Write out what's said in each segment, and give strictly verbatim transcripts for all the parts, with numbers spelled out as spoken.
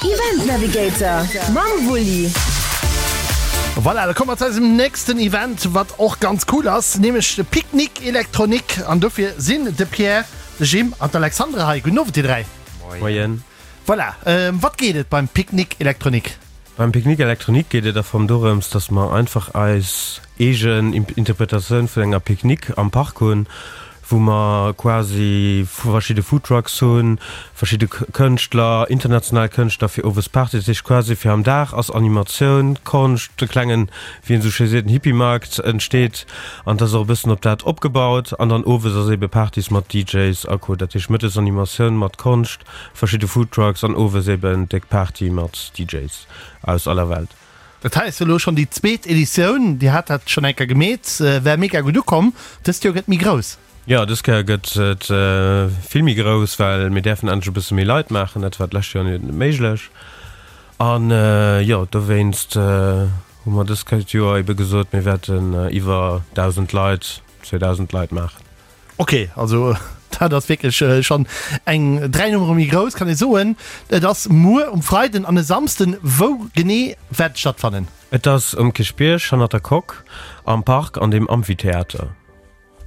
Event Navigator mam Wulli. Voilà, da komme mer zu eisem nächsten Event, wat och ganz cool ass, nämlech de Pique-Nique Électronique. An dofir sinn de Pierre, de Jim an d'Alexandra hei. Gudden Owend, dir dräi. Moien. Voilà, ëm wat geet et beim Pique-Nique Électronique? Beim Pique-Nique Électronique geet et am Fong dorëms, dass mer einfach eis eegen Interpretatioun vun enger Pique-Nique am Park hunn, wou mer quasi verschidde Foodtrucks hunn, verschidde Kënschtler, international Kënschtler fir owes Party. Dat heescht quasi fir am Dag ass Animatioun, Konscht, e klengen, wéi een esou schéi seet, en Hippie-Markt entsteet an dat ass och e bëssen op dat opgebaut. An dann owes ass ebe Partys mat DJs a Co. Dat heescht mëttes Animatioun mat Konscht, verschidde Foodtrucks an owes eben déck Party mat DJs aus aller Welt. Dat hei ass jo elo schonn déi zweet Editioun. Dir hat dat schonn eng Kéier gemeet, war mega gutt ukomm. Dëst Joer gëtt méi grouss. Jo, dës Kéier gëtt et vill méi grouss, well mir däerfen endlech e bësse méi Leit maachen. Dat war d'lescht Joer net méiglech. An jo, dowéinst hu mer dës Kéier d'Joer ebe gesot, mir wäerten iwwer dausend Leit, zweedausend Leit maachen. Ok, also dat ass wierklech schonn eng dräi Nummere méi grouss, kann ee soen. Et ass muer um Freiden an e Samsden. Wou genee wäert et stattfannen? Et ass um Kierchbierg, hannert der Coque, am Park an dem Amphitheater.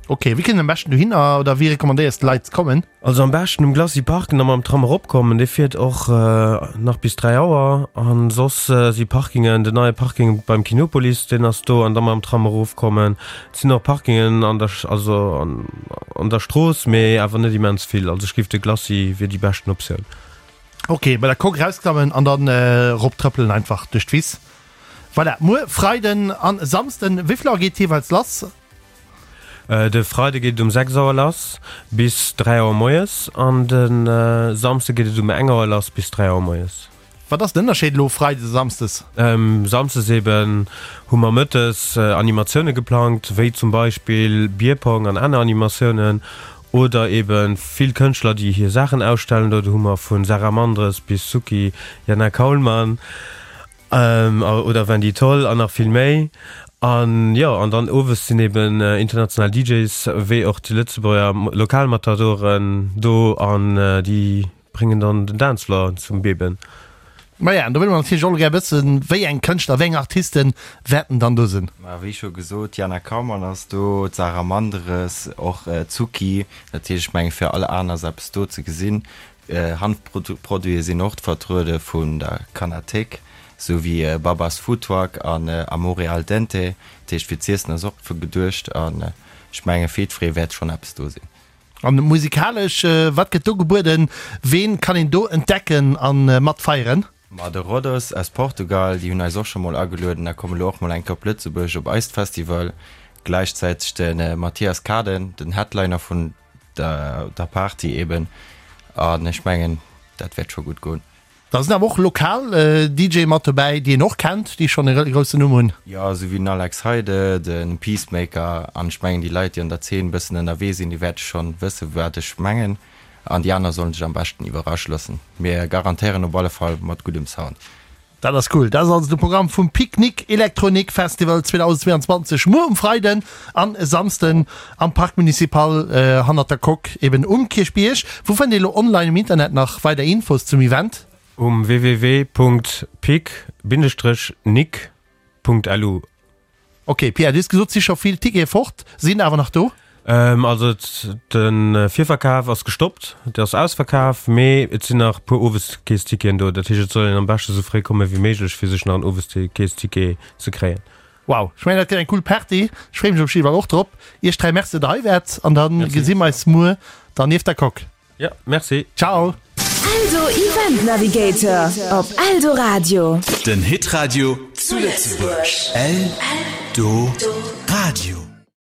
Ok, wéi kënnt een am beschten dohinner oder wéi recommandéiers de Leit ze kommen? Also am beschten um Glacis parken a mam Tram eropkommen, dee fiert och nach bis dräi Auer. An soss si Parkingen, den neie Parking beim Kinopolis, deen ass do, an da mam Tram erofkommen. Et sinn och Parkingen an der, also an der Strooss, mee awer net immens vill. Also ech géif de Glacis wier déi beschten Optioun. Ok, bei der Coque erausklammen an dann erop trëppelen einfach duerch d'Wiss. Voilà, muer Freiden an Samsden, wéi vill Auer geet et jeeweils lass? De Freide geet et um sechs Auer lass bis dräi Auer moies an de Samsde geet et um eng Auer lass bis dräi Auer moies. Wat ass den Ënnerscheed elo Freides a Samsdes? Samsdes eben hu mer mëttes Animatioune geplangt, wéi zum Beispill Bierpong an aner Animatiounen oder eben vill Kënschtler, déi hir Saachen ausstellen. Do hu mer vu Sarah Mandres bis Suki, Jana Kaulmann. Oder Wendy Toll an nach vill méi. An jo, an dann owes sinn eben international DJs wéi och déi Lëtzebuerger Lokalmatadoren do an déi bréngen dann den Dancefloor zum Beben. Maja, an do wëlle mer natierlech och elo gär wëssen, wéi eng Kënschtler, wéi eng Artiste wäerten dann do sinn? Ma wéi scho gesot, d'Jana Kaumann ass do, d'Sarah Mandres, och d'Suki. Dat heescht, ech menge fir all Aen ass eppes do ze gesinn. Hanfproduite sinn och vertruede vun der Canathék, sou wéi Babas Food Truck an Amore Al Dente. Dat heescht fir z'iessen ass och geduecht an ech menge fir jiddweree wäert schonn eppes do sinn. An musikalesch, wat gëtt do gebueden? Ween kann een do entdecken a mat feieren? Ma de Rodos aus Portugal, déi hunn eis och scho mol agelueden a kommen elo och mol eng Kéier op Lëtzebuerg op eist Festival. Gläichzäiteg de Mathias Kaden, den Headliner vun der Party eben an ech mengen dat wäert scho gutt goen. Da sinn awer och lokal DJe mat dobäi, déi een och kennt, déi schonn e groussen Numm hunn. Jo, esou wéi den Alex Heide, de Peacemaker an ech mengen déi Leit, déi an der Zeen e bëssen ënnerwee sinn, déi wäerte schonn wësse wat ech mengen an déi aner sollen sech am beschten iwwerrasche loossen. Mir garantéieren op alle Fall mat guddem Sound. Dat ass cool. Dat ass also de Programm vum Pique-Nique Électronique Festival zweedausendzweeanzwanzeg muer um Freiden an e Samsden am Parc Municipal hannert der Coque eben um Kierchbierg. Wou fënnt ee lo online um Internet nach weider Infos zum Event? Um www.pique-nique.lu. Ok Pierre, du hues gesot, et si scho vill Tickete fort, sinn awer nach do? Also de Virverkaf ass gestoppt, et ass ausverkaf, mee et sinn nach e puer Oweskees-Ticketen do. Dat heescht, et soll een am beschte sou fréi komme wéi méiglech, fir sech nach en Oweskees-Ticket ze kréien. Wow, ech mengen dat gëtt eng cool Party. Ech freeë mech op jidde Fall och drop. Iech dräi Merci, datt der hei waart an da gesi mer eis muer dann nieft der Coque. Jo, merci. Ciao. Eldo Event Navigator op Eldoradio. Den Hitradio zu Lëtzebuerg. Eldoradio.